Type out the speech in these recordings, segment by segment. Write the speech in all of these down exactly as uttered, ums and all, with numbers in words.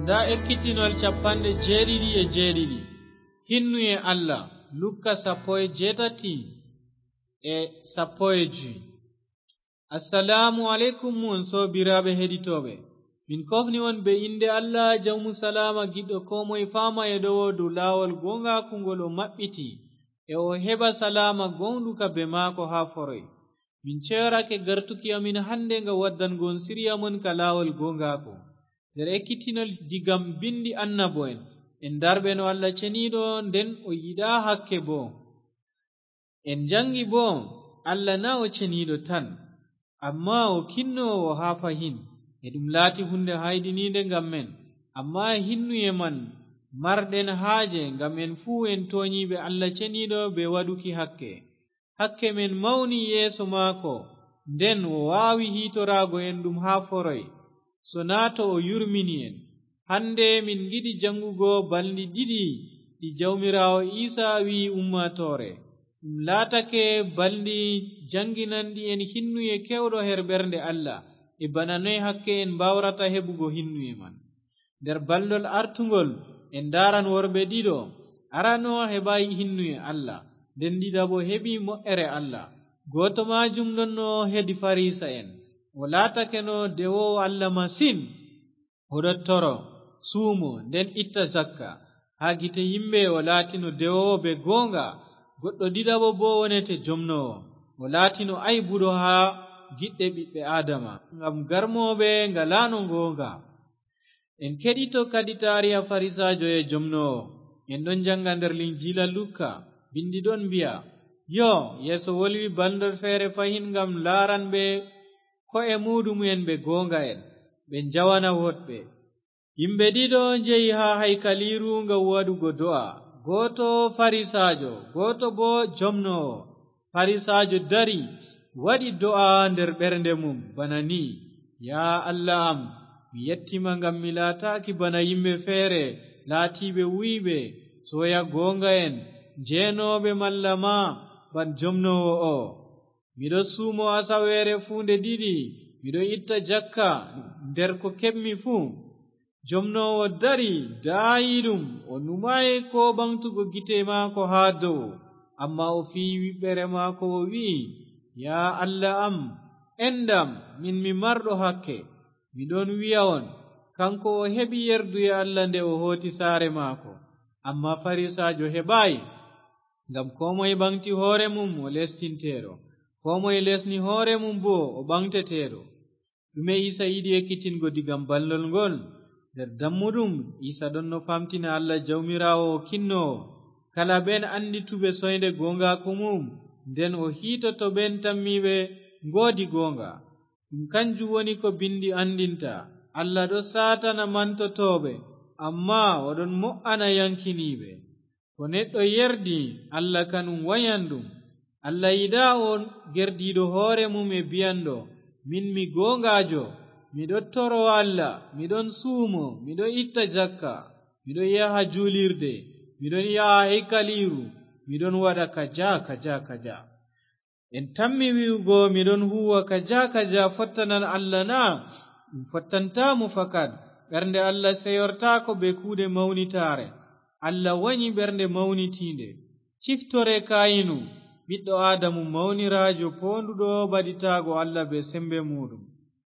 Nda ekkitinol capanɗe jeeɗiɗi e jeeɗiɗi. Hinnuye Allah, Lukka sappo e jeetati e sappo e joy. Assalaamu aleykum, mon soobiraaɓe heɗitooɓe. Min kofni on be innde Allah, Jawmu Salaama, giɗɗo koo moye faama e ɗowo dow laawol gooŋgaaku ngol o maɓɓiti, e o heɓa salaama gooŋɗuka be maako haa foroy. Min ceyorake gartuki amin hande ngam waddango on siriya mon ka laawol gooŋgaaku. Nder ekkitinol digam bindi annabo'en, en darɓe no Allah ceniiɗo, nden o yiɗaa hakke boo. En jaŋgi boo, Allah na o ceniiɗo tan, ammaa o kinnoowo haa fahin, e ɗum laati huunde hayɗiniinde ngam men. Ammaa hinnuye man marɗen haaje, ngam en fuu en toonyiiɓe Allah ceniiɗo be waɗuki hakke. Hakke men mawni yeeso maako, nden o waawi hiitoraago en ɗum haa foroy, sonaa to o yurmini en. Hande min ngiɗi jaŋgugo balndi ɗiɗi ɗi Jawmiraawo Iisa wi'i ummaatoore. Ɗum laatake balndi jaŋginanɗi en hinnuye keewɗo her ɓernde Allah, e bana noy hakke en mbaawrata heɓugo hinnuye man. Nder balndol artungol, en ndaaran worɓe ɗiɗo. Arano heɓaay hinnuye Allah, nden ɗiɗaɓo heɓi mo'ere Allah. Gooto maajum ɗonno hedi Farisa'en. O laatakeno dewoowo Allah masin. O ɗon toro, suumo, nden itta jakka. Haa gite yimɓe o laatino dewoowo be gooŋga. Goɗɗo ɗiɗaɓo boo wonete jomnoowo. O laatino aybuɗo haa giɗɗe ɓiɓɓe Aadama, ngam garmooɓe ngalaano gooŋga. En keɗito kadi taariha Farisaajo e jomnoowo. En ɗon jaŋga nder Linjiila Lukka, bindi ɗon mbi'a, yo, Yeeso wolwi balndol feere fahin ngam laaranɓe ko'e muuɗum'en ɓe gooŋga'en, ɓe njawana woɗɓe. Yimɓe ɗiɗo njehi haa haykaliiru ngam waɗugo do'a, gooto Farisaajo, gooto boo jomnoowo. Farisaajo dari, waɗi do'a nder ɓernde mum bana ni, ya Allah am, mi yetti ma ngam mi laataaki bana yimɓe feere, laatiiɓe wuyɓe, sooya gooŋga'en, jeenooɓe malla ma ban jomnoowo o. Miɗo suumo asaweere fuu nde ɗiɗi, miɗo itta jakka nder ko keɓmi fuu. Jomnoowo dari, daayiiɗum, o numaay koo ɓaŋgtugo gite maako haa dow, ammaa o fiyi wiɓɓere maako, o wi'i, ya Allah am, enɗam, min mi marɗo hakke. Mi ɗon wi'a on, kaŋko o heɓi yerduye Allah nde o hooti saare maako, ammaa Farisaajo heɓaay. Ngam koo moy ɓaŋgti hoore mum, o lestinteeɗo. Koo moy lesni hoore mum boo, o ɓaŋgteteeɗo. Ɗume Iisa yiɗi ekkitingo diga balndol ngol? Nder dammuɗum, Iisa ɗonno faamtina Allah Jawmiraawo o kinnoowo. Kala ɓen anndituɓe soynde gooŋgaaku mum, nden o hiitoto ɓen tammiiɓe ngoodi gooŋga. Ɗum kanjum woni ko bindi anndinta, Allah ɗon saatana mantotooɓe, ammaa o ɗon mo'ana yaŋkiniiɓe. Ko neɗɗo yerdi, Allah kanum wanyan ɗum. Allah yiɗaa o gerdiiɗo hoore mum e bi'anɗo, min mi gooŋgaajo, miɗo toro Allah, miɗon suumo, miɗo itta jakka, miɗon yaha juulirde, miɗon yaha haykaliiru, miɗon waɗa kaja, kaja, kaja. En tammi wi'ugo miɗon huuwa kaja kaja fottanan Allah na? Ɗum fottantaa mo fakat. Ɓernde Allah seyortaako bee kuuɗe mawnitaare. Allah wanyi ɓernde mawnitiinde. Ciftore Kayinu, ɓiɗɗo Aadamu mawniraajo poonduɗo ɓaditaago Allah bee sembe muuɗum.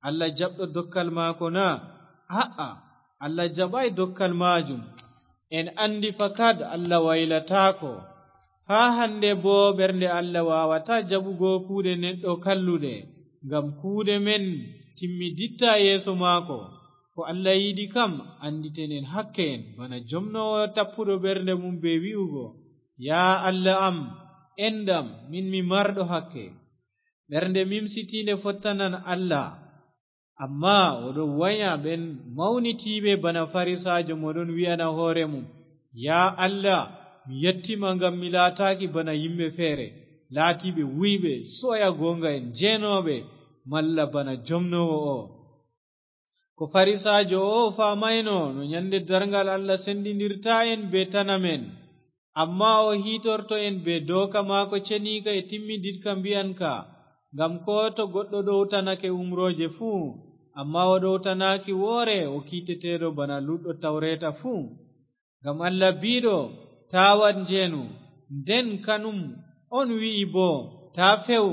Allah jaɓɗo dokkal maako na? A'a, Allah jaɓaay dokkal maajum. En anndi fakat Allah waylataako. Haa hannde boo ɓernde Allah waawataa jaɓugo kuuɗe neɗɗo kalluɗe, ngam kuuɗe men timmidittaa yeeso maako. Ko Allah yiɗi kam, annditen en hakke en, bana jomnoowo tappuɗo ɓernde mum bee wi'ugo, ya Allah am, enɗam, min mi marɗo hakke. Ɓernde mimsitiinde fottanan Allah. Ammaa o ɗon wanya ɓen mawnitiiɓe bana Farisaajo mo ɗon wi'ana hoore mum, ya Allah, mi yetti ma ngam mi laataaki bana yimɓe feere, laatiiɓe wuyɓe, sooya gooŋga'en, jeenooɓe, malla bana jomnoowo o. Ko Farisaajo o faamaayno no nyannde darngal Allah senndindirtaa en bee tan amen. Ammaa o hiitorto en bee dooka maako ceniika e timmiditka mbi'anka, ngam koo to goɗɗo ɗowtanake umrooje fuu, Ammaa o ɗowtanaaki woore o kiiteteeɗo bana luutɗo tawreeta fuu. Ngam Allah biiɗo, "Taa waɗ njeenu," nden kanum on wi'i boo, "Taa few,"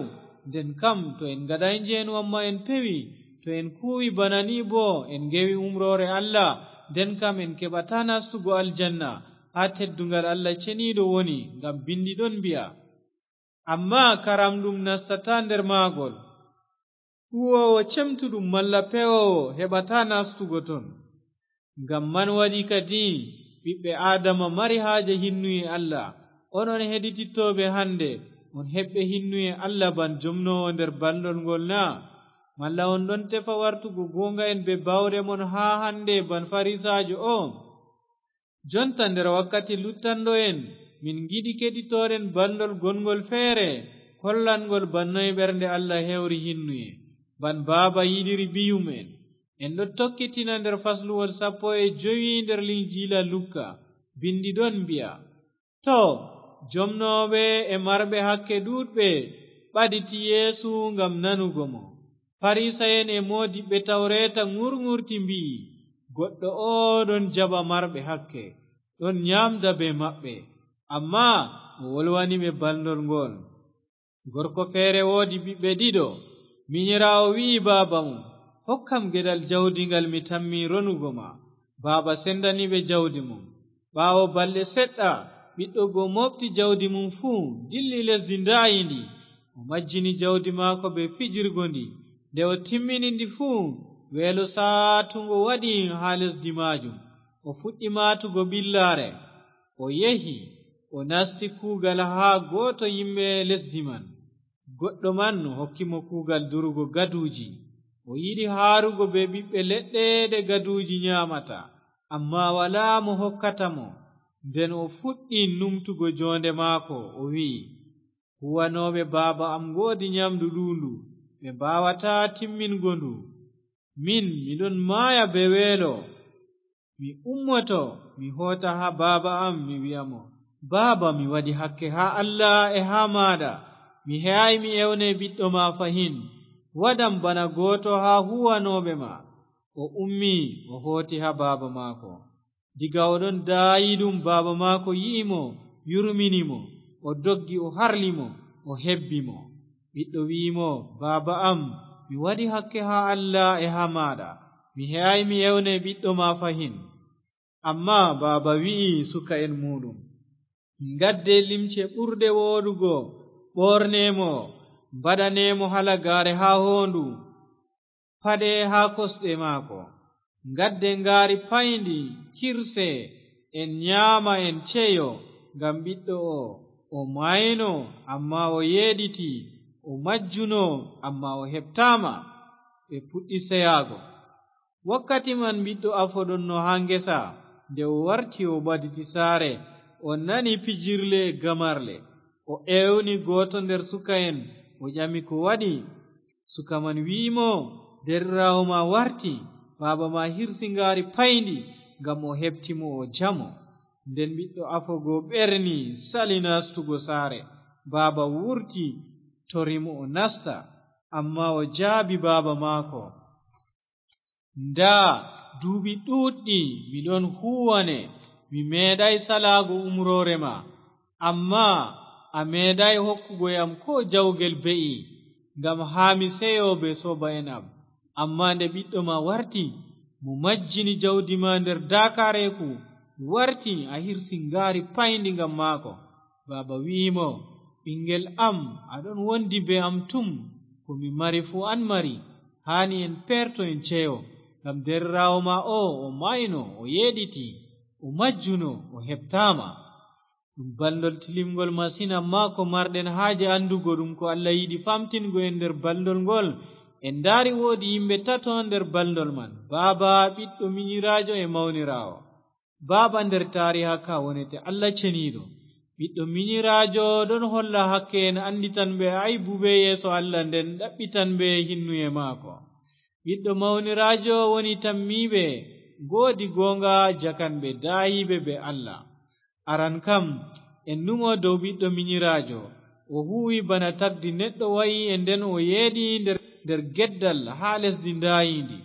nden kam to en ngaɗaay njeenu ammaa en pewi, to en kuuwi bana ni boo en ngewi umroore Allah, nden kam en keɓataa nastugo aljanna, haa tedduŋgal Allah ceniiɗo woni, ngam binndi ɗon mbi'a, "Ammaa karamɗum nastataa nder maagol." Huuwoowo cemtuɗum malla pewoowo heɓataa nastugo ton. Ngam man waɗi kadi ɓiɓɓe Aadama mari haaje hinnuye Allah. Onon heɗitittooɓe hande, on heɓɓe hinnuye Allah ban jomnoowo nder balndol ngol na? Malla on ɗon tefa wartugo gooŋga'en bee baawɗe mon haa hande ban Farisaajo o? Jonta nder wakkati luttanɗo en, min ngiɗi keɗitoren balndol gonŋgol feere, kollanŋgol ban noy ɓernde Allah hewri hinnuye, ban baaba yiɗiri biyum'en. En ɗon tokkitina nder fasluwol sappo e jowi nder Linjiila Lukka. Binndi ɗon mbi'a, "To, jomnooɓe e marɓe hakke ɗuuɗɓe ɓaditi Yeesu ngam nanugo mo. Farisa'en e moodiɓɓe tawreeta ŋurŋurti mbi'i, 'Goɗɗo o ɗon jaɓa marɓe hakke, ɗon nyaamda bee maɓɓe.' Ammaa o wolwani ɓe balndol ngol. Gorko feere woodi ɓiɓɓe ɗiɗo. Minyiraawo wi'i baaba mum, 'Hokkam geɗal jawdi ngal mi tammi ronugo ma.' Baaba sendani ɓe jawdi mum. Ɓaawo balɗe seɗɗa, ɓiɗɗo go mooɓti jawdi mum fuu, dilli lesdi ndaayindi. O majjini jawdi maako bee fijirgo ndi. Nde o timmini ndi fuu, weelo saatuŋgo waɗi haa lesdi maajum. O fuɗɗi maatugo ɓillaare. O yehi, o nasti kuugal haa gooto yimɓe lesdi man. Goɗɗo man hokki mo kuugal durugo gaduuji. O yiɗi haarugo bee ɓiɓɓe leɗɗe ɗe gaduuji nyaamata, ammaa walaa mo hokkata mo. Nden o fuɗɗi numtugo joonde maako, o wi'i, 'Huwanooɓe baaba am ngoodi nyamndu ɗuundu, ɓe mbaawataa timmingo ndu. Min, mi ɗon maaya bee weelo. Mi ummoto, mi hoota haa baaba am, mi wi'a mo, 'Baaba, mi waɗi hakke haa Allah e haa maaɗa. Mi he'aay mi ewne ɓiɗɗo ma fahin. Waɗam bana gooto haa huuwanooɓe ma.' O ummi, o hooti haa baaba maako. Diga o ɗon daayiiɗum, baaba maako yi'i mo, yurmini mo. O doggi, o harli mo, o hebbi mo. Ɓiɗɗo wi'i mo, 'Baaba am, mi waɗi hakke haa Allah e haa maaɗa. Mi he'aay mi ewne ɓiɗɗo ma fahin.' Ammaa baaba wi'i suka'en muuɗum, 'Ngadde limce ɓurɗe wooɗugo, ɓorne mo, mbaɗane mo halagaare haa hoondu, paɗe haa kosɗe maako. Ngadde ngaari payndi, kirse, en nyaama, en ceyo, ngam ɓiɗɗo o, o maayno, ammaa o yeeɗiti, o majjuno, ammaa o heɓtaama.' Ɓe puɗɗi seyaago. Wakkati man ɓiɗɗo afo ɗonno haa ngesa. Nde o warti, o ɓaditi saare, o nani pijirle e gamarle. O ewni gooto nder suka'en, o ƴami ko waɗi. Suka man wi'i mo, 'Deerɗiraawo ma warti, baaba ma hirsi ngaari payndi, ngam o heɓti mo o jamo.' Nden ɓiɗɗo afo go ɓerni, sali nastugo saare. Baaba wurti, tori mo o nasta, ammaa o jaabi baaba maako, 'Ndaa, duuɓi ɗuuɗɗi mi ɗon huuwane, mi meeɗaay salaago umroore ma, ammaa a meeɗaay hokkugo yam koo jawgel be'i, ngam haa mi seyo bee sooba'en am.' Ammaa nde ɓiɗɗo ma warti, mo majjini jawdi ma nder daakaareeku, warti a hirsi ngaari payndi ngam maako. Baaba wi'i mo, 'Ɓiŋgel am, a ɗon wondi bee am tum, ko mi mari fuu an mari. Haani en peerto en ceyo, ngam deerɗiraawo ma o, o maayno, o yeeɗiti, o majjuno, o heɓtaama.' Ɗum balndol tilimngol masin, ammaa ko marɗen haaje anndugo ɗum ko Allah yiɗi famtingo en nder balndol ngol, en ndaari woodi yimɓe tato nder balndol man, baaba, ɓiɗɗo, minyiraajo e mawniraawo. Baaba nder taariha ka wonete Allah ceniiɗo. Ɓiɗɗo minyiraajo ɗon holla hakke en annditan ɓe aybu bee yeeso Allah, nden ɗaɓɓitan ɓe hinnuye maako. Ɓiɗɗo mawniraajo woni tammiiɓe, ngoodi gooŋga jakan ɓe daayiiɓe bee Allah. Aran kam, en numo dow ɓiɗɗo minyiraajo. O huuwi bana tagdi neɗɗo wa'i e nden o yeeɗi nder, nder geddal haa lesdi ndaayiindi.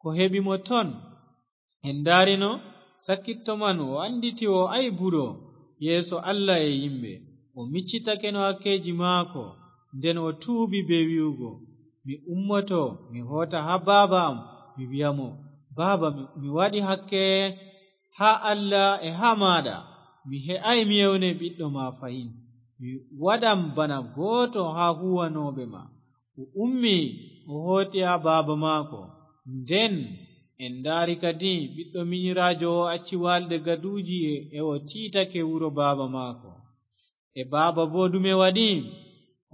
Ko heɓi mo ton? En ndaarino, sakkitto man o annditi o aybuɗo yeeso Allah e yimɓe. O miccitakeno hakkeeji maako, nden o tuubi bee wi'ugo, "Mi ummoto, mi hoota haa baaba am, mi wi'a mo, 'Baaba, mi, mi waɗi hakke haa Allah e haa maaɗa. Mi he'aay mi ewne ɓiɗɗo ma fahin. Mi waɗan bana gooto haa huuwanooɓe ma.'" O ummi, o hooti haa baaba maako. Nden en ndaari kadi ɓiɗɗo minyiraajo o acci waalde gaduuji e, e o tiitake wuro baaba maako. E baaba boo ɗume waɗi?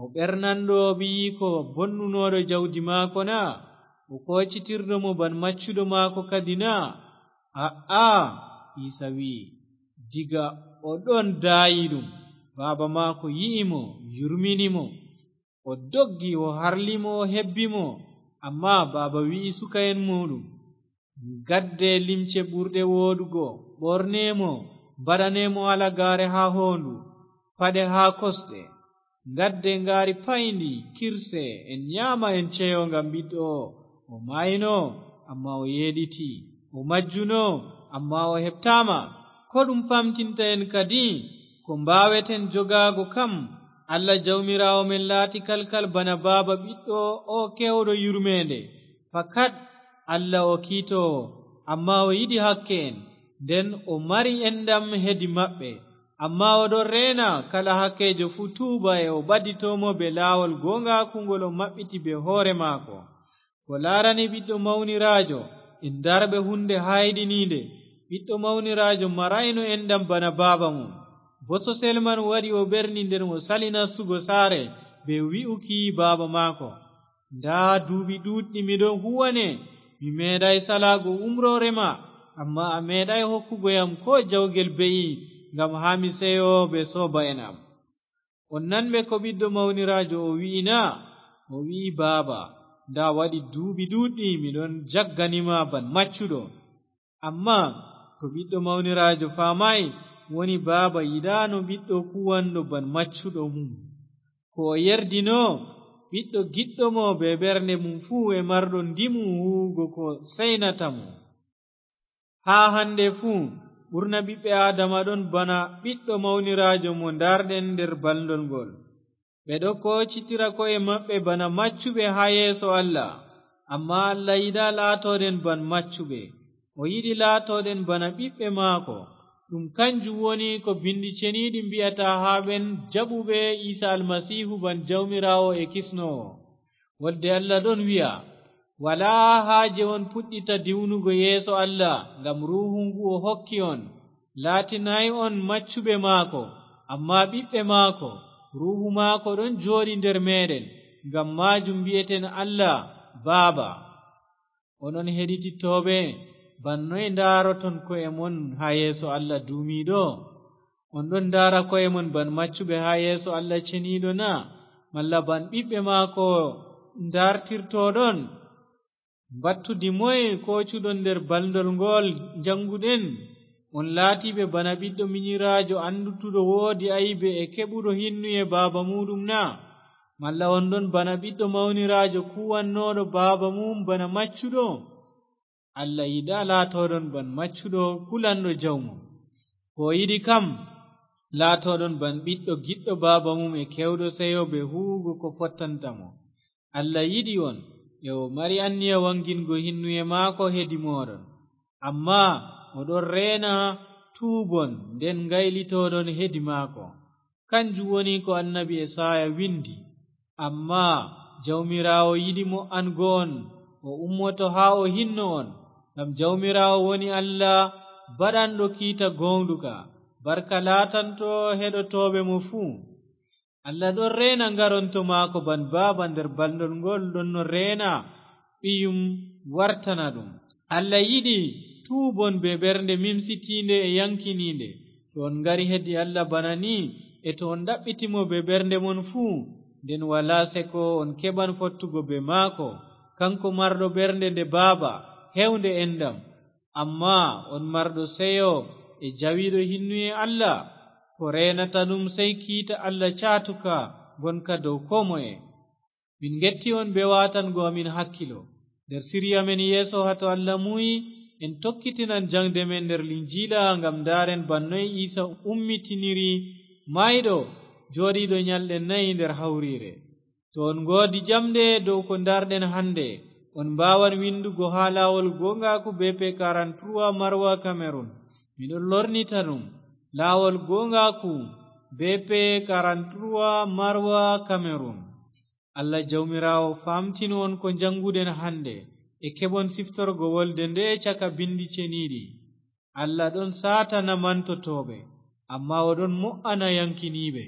O ɓernanɗo ɓiyiiko bonnunooɗo jawdi maako na? O koocitirɗo mo ban maccuɗo maako kadi na? A'a, Iisa wi'i, diga o ɗon daayi ɗum, baaba maako yi'i mo, yurmini mo. O doggi, o harli mo, o hebbi mo. Ammaa baaba wi'i suka'en muuɗum, "Ngadde limce ɓurɗe wooɗugo, ɓorne mo, mbaɗane mo halagaare haa hoondu, paɗe haa kosɗe. Ngadde ngaari payndi, kirse, en nyaama, en ceyo ngam ɓiɗɗo o. O maayno, ammaa o yeeɗiti. O majjuno, ammaa o heɓtaama. Ko ɗum famtinta en kadi? Ko mbaaweten jogaago kam? Allah Jawmiraawo men laati kalkal bana baaba ɓiɗɗo o keewɗo yurmeende. Fakat Allah o kiitoowo, ammaa o yiɗi hakke en, nden o mari enɗam hedi maɓɓe. Ammaa o ɗon reena kala hakkeejo fuu tuuba e o ɓadito mo bee laawol gooŋgaaku ngol o maɓɓiti bee hoore maako. Ko laarani ɓiɗɗo mawniraajo, en ndarɓe huunde haayɗiniinde. Ɓiɗɗo mawniraajo maraayno enɗam bana baaba mum. Bososel man waɗi o ɓerni nden o sali nastugo saare bee wi'uki baaba maako, "Ndaa duuɓi ɗuuɗɗi mi ɗon huuwane, mi meeɗaay salaago umroore ma, ammaa a meeɗaay hokkugo yam koo jawgel be'i ngam haa mi seyo bee sooba'en am." On nanɓe ko ɓiɗɗo mawniraajo o wi'i na? O wi'i, "Baaba, ndaa waɗi duuɓi ɗuuɗɗi mi ɗon jaggani ma ban maccuɗo." Ammaa ko ɓiɗɗo mawniraajo faamaay woni baaba yiɗaano ɓiɗɗo kuwanɗo ban maccuɗo mum. Ko o yerdino ɓiɗɗo giɗɗo mo bee ɓernde mum fuu e marɗo ndimu huuwugo ko seynata mo. Haa hannde fuu, ɓurna ɓiɓɓe Aadama ɗon bana ɓiɗɗo mawniraajo mo ndaarɗen nder balndol ngol. Ɓe ɗo koocitira ko'e maɓɓe bana maccuɓe haa yeeso Allah, ammaa Allah yiɗaa laatooɗen ban maccuɓe. O yiɗi laatooɗen bana ɓiɓɓe maako. Ɗum kanjum woni ko Binndi Ceniiɗi mbi'ata haa ɓen jaɓuɓe Iisa Almasiihu ban Jawmiraawo e Kisnoowo. Wolde Allah ɗon wi'a, "Walaa haaje on puɗɗita diwnugo yeeso Allah, ngam Ruuhu ngu o hokki on laatinaay on maccuɓe maako, ammaa ɓiɓɓe maako. Ruuhu maako ɗon jooɗi nder meeɗen, ngam maajum mbi'eten Allah, 'Baaba.'" Onon heɗitittooɓe, ban noy ndaaroton ko'e mon haa yeeso Allah duumiiɗo? On ɗon ndaara ko'e mon ban maccuɓe haa yeeso Allah ceniiɗo na? Malla ban ɓiɓɓe maako ndartirtoɗon? Mbattudi moye koocuɗon nder balndol ngol njannguɗen? On laatiiɓe bana ɓiɗɗo minyiraajo anndutuɗo woodi aybe e keɓuɗo hinnuye baaba muuɗum na? Malla on ɗon bana ɓiɗɗo mawniraajo kuwannooɗo baaba mum bana maccuɗo? Allah yiɗaa laatooɗon ban maccuɗo kulanɗo jawmum. Ko o yiɗi kam, laatooɗon ban ɓiɗɗo giɗɗo baaba mum e keewɗo seyo bee huuwugo ko fottanta mo. Allah yiɗi on, e o mari anniya waŋgingo hinnuye maako hedi mooɗon. Ammaa o ɗon reena tuubon, nden ngaylitoɗon hedi maako. Kanjum woni ko annabi Esaaya windi, "Ammaa Jawmiraawo yiɗi mo an go'on, o ummoto haa o hinno on. Ngam Jawmiraawo woni Allah baɗanɗo kiita gooŋɗuka. Barka laatanto heɗotooɓe mo fuu." Allah ɗon reena ngaronto maako ban baaba nder balndol ngol ɗon no reena ɓiyum wartana ɗum. Allah yiɗi tuubon bee ɓernde mimsitiinde e yaŋkiniinde. To on ngari hedi Allah bana ni, e to on ɗaɓɓiti mo bee ɓernde mon fuu, nden walaa seko on keɓan fottugo bee maako, kaŋko marɗo ɓernde nde baaba, heewnde enɗam. Ammaa on marɗo seyo e jawiiɗo hinnuye Allah, ko reenata ɗum sey kiita Allah caatuka ngonka dow koo moye. Min ngetti on bee waatango amin hakkilo. Nder sirya men yeeso haa to Allah muuyi, en tokkitinan jaŋde men nder Linjiila ngam ndaaren bana noy Iisa ummitiniri maayɗo, jooɗiiɗo nyalɗe nayi nder hawriire. To on ngoodi ƴamɗe dow ko ndaarɗen hannde, on mbaawan winndugo haa laawol gooŋgaaku B P quarante-trois Marwa Cameroun. Miɗon lornita ɗum, laawol gooŋgaaku B P quarante-trois Marwa Cameroun. Allah Jawmiraawo faamtino on ko njaŋnguɗen hannde, e keɓon siftorgo wolde nde'e caka binndi ceniiɗi. Allah ɗon saatana mantotooɓe, ammaa o ɗon mo'ana yaŋkiniiɓe.